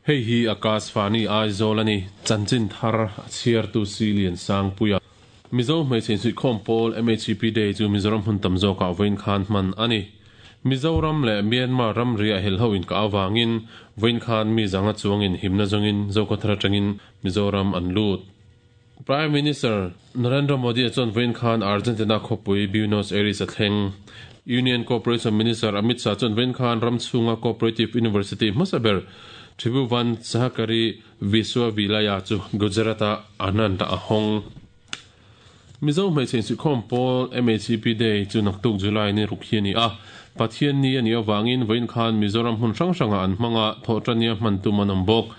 Hei hi Akashvani Aizawl a ni, chanchin thar a chhiartu Si Liansangpuia. Mizo hmeichhe insuihkhawm pawl MHEP Day chu Mizoram hmun tam zawkah vawiin khan hman a ni. Mizoram leh Myanmar ramri a helho inkah avangin vawiin khan mi zanga chuangin himna zawngin Zokhawthar atangin Mizoram an lut. Prime Minister Narendra Modi-a chuan vawiin khan Argentina khawpui Buenos Aires a thleng. Union Cooperation Minister Amit Shah chuan vawiin khan ram chhunga Cooperative University hmasa ber Tribhuvan Sahakari Vishwavidyalaya chu Gujarat-a Anand-ah a hawng. Mizo hmeichhe insuihkhawm pawl MHEP Day chu naktuk July ni ruk hi a ni a. Pathian ni a nih avangin vawiin khan Mizoram hmun hrang hrangah an hmang a, thawhṭania hman tum an awm bawk.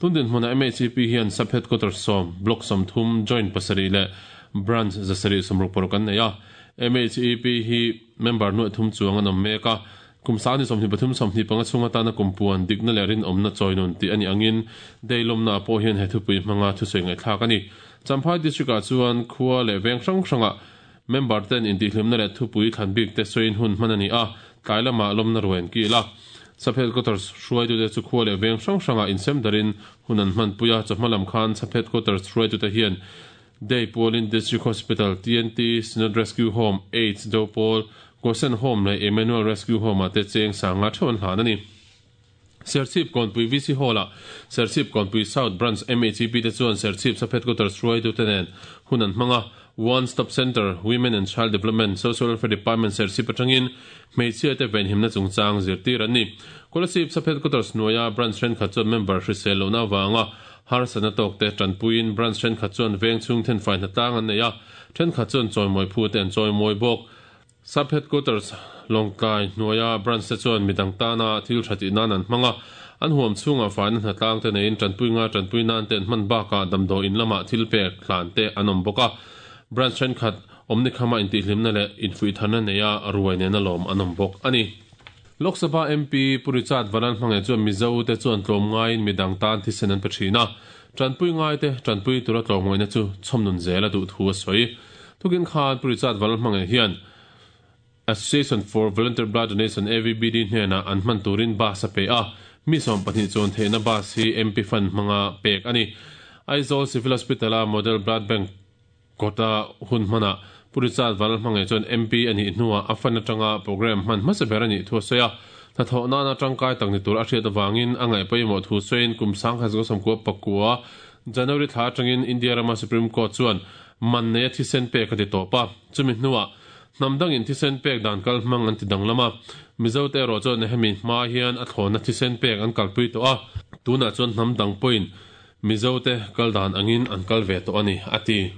Tun dinhmunah MHEP hian Sub Headquarters sawm, Block 30, Joint pasarih leh Branch 766 an nei a. MHEP hi member nuaih thum chuang an awm mek a. Kum sang ni 23 25 chhung atana kum puan dikna leh rinawmna chawi nun tih a nih angin Day lawmnaah pawh hian he thupui hmanga thusawi ngaihthlak a ni. Champhai District-ah chuan khua leh veng hrang hrangah member ten intihhlimna leh thupui thlan bik te sawiin hun hman a ni a, tlai lamah lawmna ruai an kil a. Sub Headquarters hruaitute chu khua leh veng hrang hrangah insem darin hun an hmanpui a, chawhma lam khan Sub Headquarters hruaitute hian Day pualin District Hospital, TNT, Synod Rescue Home, AIDS do pawl, Gosen Home leh Emmanuel Rescue Home-ah te cheng sanga theuh an hlan a ni. Serchhip Kawnpui VC Hall-ah Serchhip Kawnpui South Branch MHEP te chuan Serchhip Sub Headquarters hruaitute nen hun an hmang a, One Stop Centre, Women and Child Development, Social Welfare Department Serchhip atangin hmeichhia te venhimna chungchang zirtir an ni. Kolasib Sub Headquarters hnuaia branch thenkhat chuan member hrisel lohna avanga Harsatna tawkte tanpuiin branch thenkhat chuan veng chhung thenfai hnatlang an nei a, thenkhat chuan chawimawi phute an chawimawi bawk. Sub Headquarters Lawngtlai hnuaia branch te chuan midang tana thil tha tih nan an hmang a, an huam chhungah faina hnatlang te neiin tanpui ngai tanpui nan te an hman bakah damdawi in lamah thil pek hlan te an awm bawk a. Branch thenkhat awmnikhama intihhlimna leh infuihtharna neia ruai nena lawm an awm bawk a ni. Lok Sabha MP Pu Richard Vanlalhmangaih chuan Mizo te chuan tlawmngaiin midang tan thisen an pe thin a, tanpui ngaite tanpui tura tlawmngaihna chu chhawmnun zel a duh thu a sawi. Tukin khan Pu Richard Vanlalhmangaih hian Association for Volunteer Blood Donation, AVBD, hnenah an hman turin bus a pe a, mi 12 chuan theihna bus hi MP Fund hmanga pek a ni. Aizawl Civil Hospital-a Model Blood Bank Kawta hun hmanah Pu Richard Vanlalhmangaih chuan MP a nih hnuah a fan atanga programme hman hmasa ber a nih thu a sawi a. Hnathawh nana tangkai tak ni tur a hriat avangin a ngaih pawimawh thu sawiin kum 1999 January thla atangin India rama Supreme Court chuan man neia thisen pek a ti tawp a. Chumi hnuah hnam dangin thisen pek dan kal hmang an ti danglam a. Mizote erawh chuan hemi hma hian a thlawhna thisen pek an kalpui tawh a. Tunah chuan hnam dang pawhin Mizote kal dan angin an kal ve tawh a ni, a ti.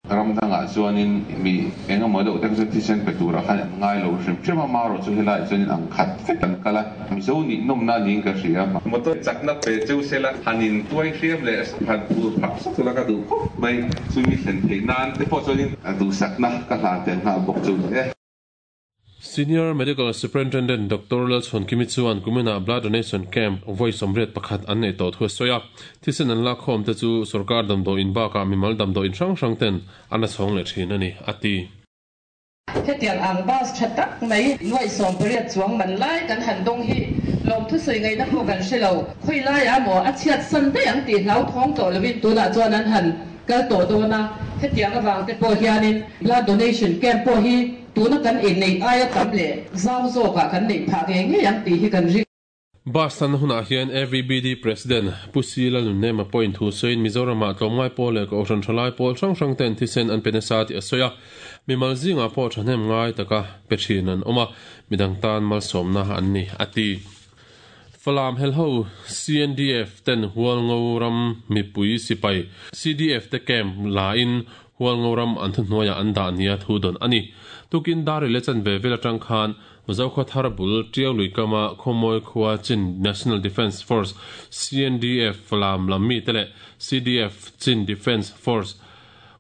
Ram dangah chuanin mi eng emaw deuh te chu thisen pe turah khan an ngai lo hrim hrim a, marawh chu helaiah chuanin ang khat vek an kal a, Mizo nih nawmna niin ka hria. Motor chakna pe cheu sela han in tuai hriam leh han phur phah sawk la ka duh khawp mai, chumi thlen theih nan te pawh chuanin duhsakna ka hlan tel nghal bawk chu ni e. Senior Medical Superintendent Doctor Lalchhuankimi chuan kuminah Blood Donation Camp vawi 81 an neih tawh thu a sawi a. Thisen an lakkhawm te chu sorkar damdawiin bakah mimal damdawiin hrang hrang ten an la chhawng leh thin a ni, a ti. Hetiang ang bus tha tak mai nuaih 80 chuang man lai kan han dawng hi lawmthusawi ngaihna pawh kan hre lo. Khawi laiah maw a chhiat san daih ang tih hlauthawng tawh lovin tunah chuan an han kal tawh dawn a. Hetiang avang te pawh hianin blood donation camp pawh hi Tuna kan inneih aia tam leh zau zawkah kan neih phah ngei ngei ang tih hi kan ring. Bus tanna hunah hian AVBD President Pu Si Lalnunnema pawhin thu sawiin Mizoramah tlawmngai pawl leh Kohhran thalai pawl hrang hrang ten thisen an pe nasa tih a sawi a. Mimal zingah pawh thahnem ngai taka pe thin an awm a, midang tan malsawmna an ni, a ti. Falam helho CNDF ten Hualngo ram mipui sipai CDF te camp la in Hualngo ram an thuhnuaiah an dah nia thu dawn a ni. Tukin dar i le chanve vel atang khan Zokhaw thar bul Tiau lui kama Khawmawi khua Chin National Defence Force, CNDF, Falam lam mite leh CDF, Chin Defence Force,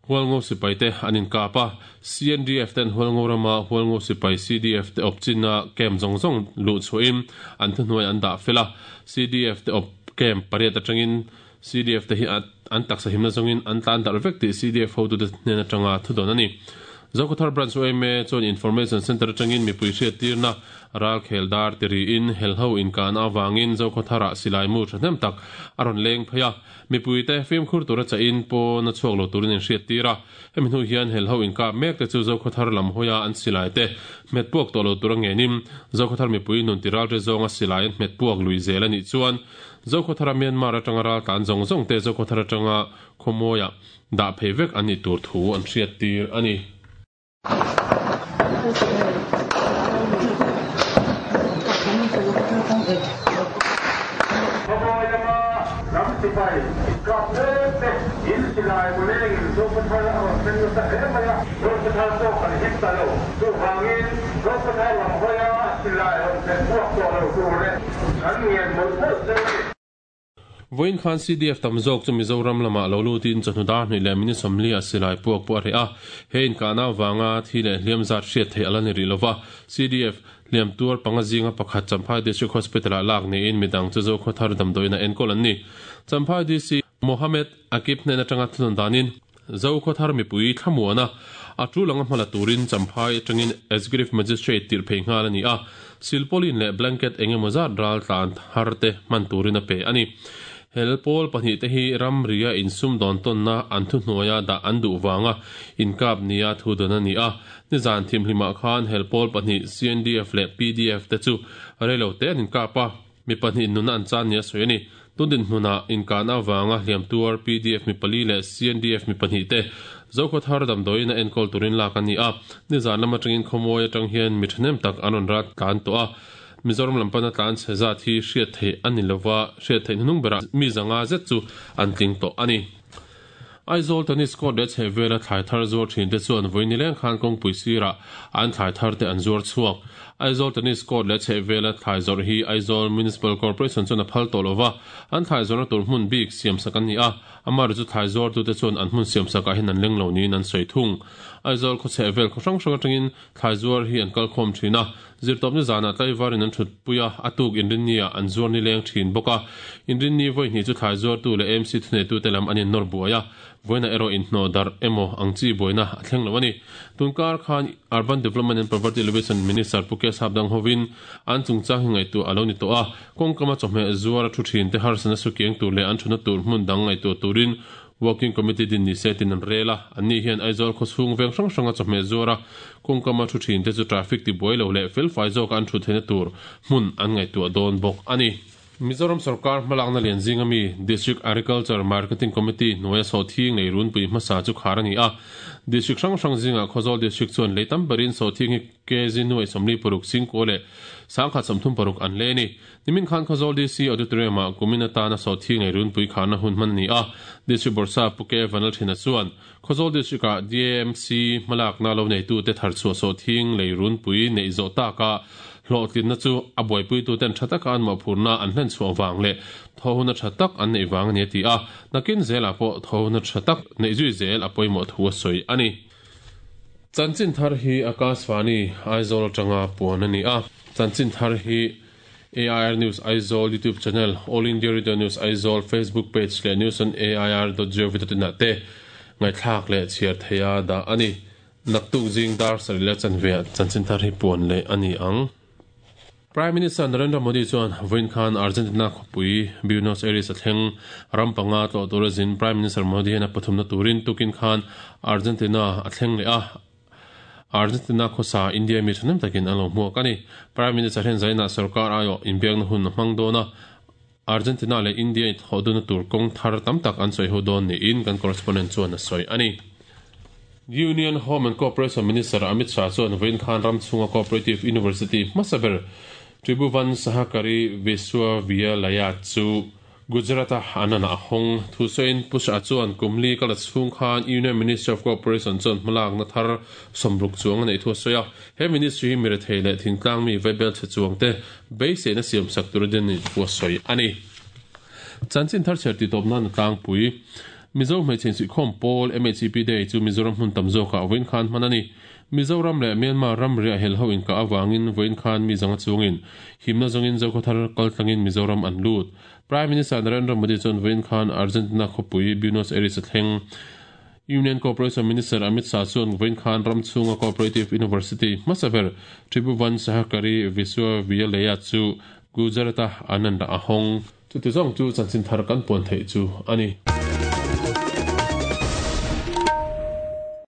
Hualngo sipai te an inkap a. CNDF ten Hualngo rama Hualngo sipai CDF te awp chinna camp zawng zawng luh chhuahin an thuhnuai an dah fel a. CDF te awp camp pariat atangin CDF te hi an taksa himna zawngin an tlan darh vek tih CDF hotute hnen atanga thudawn a ni. Zokhawthar Branch yma chuan Information Centre atangin mipui hriattirna ralkhel dar ti riin helho inkahna avangin Zokhawtharah silai mu thahnem tak a rawn leng phei a. Mipuite fimkhur tura chahin pawn a chhuak lo turin inhriattir a. Hemi hnu hian helho inkap mek te chu Zokhawthar lam hawia an silai te hmet puak tawh lo tura ngenin Zokhawthar mipui nun ti ral te zawnga silai an hmet puak lui zel a nih chuan Zokhawthara Myanmar atanga ral tlan zawng zawng te Zokhawthar atanga khawmawiah dah phei vek an nih tur thu an hriattir a ni. Khawmawi lama ram sipai inkap mek te in silai mulengin Zokhawthar a rawn thleng nasa hle mai a, Zokhawthar pawh kan him ta lo. Chuvangin Zokhawthar lam hawia silai rawn thlen chhuak tawh lo tur leh kan ngen mawlh mawlh zeu a ni. Vawiin khan CDF tam zawk chu Mizoram lamah lo lutin chawhnu dar hnih leh minute 40 ah silai puak pawh a reh a. He inkahna avanga thi leh hliam zat hriat theih a la ni rih lova. CDF hliam tuar panga zinga pakhat Champhai District Hospital-ah lak niin midang chu Zokhawthar damdawiin a enkawl an ni. Champhai DC Mohammed Akib hnen atanga thunawn danin Zokhawthar mipui thlamuana a tul anga hmala turin Champhai atangin Executive Magistrate tirh phei nghal a ni a, silpauline leh blanket eng emaw zat ral tlan thar te hman turin a pe a ni. Hel pawl pahnih te hi ramria insumdawn tawnna an thuhnuaia dah an duh vanga inkap nia thu dawn a ni a. Nizan thimhlimah khan hel pawl pahnih CNDF leh pdf te chu reilo te an inkap a. Mi pahnih nunna an chan nia sawi a ni. Tun dinhmunah inkahna avanga hliam tuar pdf mi pali leh CNDF mi pahnih te Zokhawthar damdawiin a enkawl turin lak an ni a. Nizan lam atangin khawmawi atang hian mi thahnem tak an rawn rat tlan tawh a. Mizoram lam pana tlan chhe zat hi hriat theih a ni lova, hriat theih hnuhnung berah mi zanga zet chu an tling tawh a ni. Aizawl tennis court leh chhehvela thlai thar zuar thin te chuan vawi nileng khan kawngpui sirah an thlai thar te an zuar chhuak. Aizawl tennis court leh chhehvela thlai zawrh hi Aizawl Municipal Corporation chuan a phal tawh lova, an thlai zawrhna tur hmun bik siamsak an ni a, amaherawhchu chu thlai zuartute chuan an hmun siamsakah hian an leng lo niin an sawi thung. Aizawl khaw chhehvel khaw hrang hrang atangin thlai zuar hi an kalkhawm thin a, Zirtawpna zanah tlaivarin an thutpui a, a tuk inrinni-ah an zuar nileng thin bawk a. Inrinni vawi hnih chu thlai zuartu leh AMC thuneitute lam an innawr buai a, vawiinah erawh inhnawh darh emaw ang chi buaina a thleng lo a ni. Tunkar khan Urban Development and Poverty Alleviation Minister Pu K Sapdang hovin an chungchang hi ngaihtuah a lo ni tawh a, kawngkama chawhmeh zuar a thu thinte harsatna sukiang tur leh an thutna tur hmun dang ngaihtuah turin Working Committee din ni se tin an rel a, anni hian Aizawl khawchhung veng hrang hranga chawhmeh zuara kawngkama thu thin te chu traffic tibuai lo leh felfai zawka an thut theihna tur hmun an ngaihtuah dawn bawk a ni. Mizoram sawrkar hmalakna lian zinga mi District Agriculture Marketing Committee hnuaia sawhthing lei runpui hmasa chu khar a ni a, District hrang hrang zingah Khawzawl District chuan lei tam berin sawhthing hi kg nuai 46 singkua leh 1036 an lei a ni. Nimin khan Khawzawl DC Auditorium-ah kumin atana sawhthing leh runpui kharna hun hman a ni a, District Bawrhsap Pu K Vanlalthina chuan Khawzawl District-ah DAMC hmalakna lo neitute tharchhuah sawhthing lei runpui neih zawh taka hlawhtlinna chu a buaipuituten tha taka an mawhphurhna an hlen chhuah vang leh thawhuna tha tak an neih vang a ni a ti a, nakin zelah pawh thawhuna tha tak neih zui zel a pawimawh thu a sawi a ni. Chanchin thar hi Akashvani Aizawl atanga puan a ni a, chanchin thar hi AIR News Aizawl YouTube channel, All India Radio News Aizawl Facebook page leh news on air dot gov dot in ah te ngaihthlak leh chhiar theiha dah a ni. Naktuk zing dar sarih leh chanve ah chanchin thar hi puan leh a ni ang. Prime Minister Narendra Modi chuan vawiin khan Argentina khawpui Buenos Aires a thleng. Ram panga tlawh tura zin Prime Minister Modi hian a pathumna turin tukin khan Argentina a thleng leh a. Argentina khawsa India mi thahnem takin an lo hmuak a ni. Prime Minister hian zainah sorkar aiawh inbiakna hun a hmang dawn a, Argentina leh India inthawh dunna tur kawng thar tam tak an sawi ho dawn niin kan correspondent chuan a sawi a ni. Union Home and Cooperation Minister Amit Shah chuan vawiin khan ram chhunga Cooperative University hmasa ber Tribhuvan Sahakari Vishwavidyalaya chu Gujarat-a an an a hawng. Thusawiin Pu Shah chuan kum li kal a chhung khan Union Ministry of Cooperation chuan hmalakna thar sawmruk chuang a neih thu a sawi a. He ministry hi mirethei leh thingtlang mi vaibel chhe chuang te beiseina siamsak tur a din nih thu a sawi a ni. Chanchin thar chher tih tawp nan a tlangpui. Mizo hmeichhe insuihkhawm pawl MHEP Day chu Mizoram hmun tam zawkah vawiin khan hman a ni. Mizoram leh Myanmar ramriah helho inkah avangin vawiin khan mi zanga chungin himna zawngin Zokhawthar kaltlangin Mizoram an lut. Prime Minister Narendra Modi chuan vawiin khan Argentina khawpui Buenos Aires a thleng. Union Cooperation Minister Amit Shah chuan vawiin khan ram chhunga Cooperative University hmasa ber Tribhuvan Sahakari Vishwavidyalaya chu Gujarat-a Anand-ah a hawng. Chuti zawng chu chanchin thar kan puan theih chu a ni.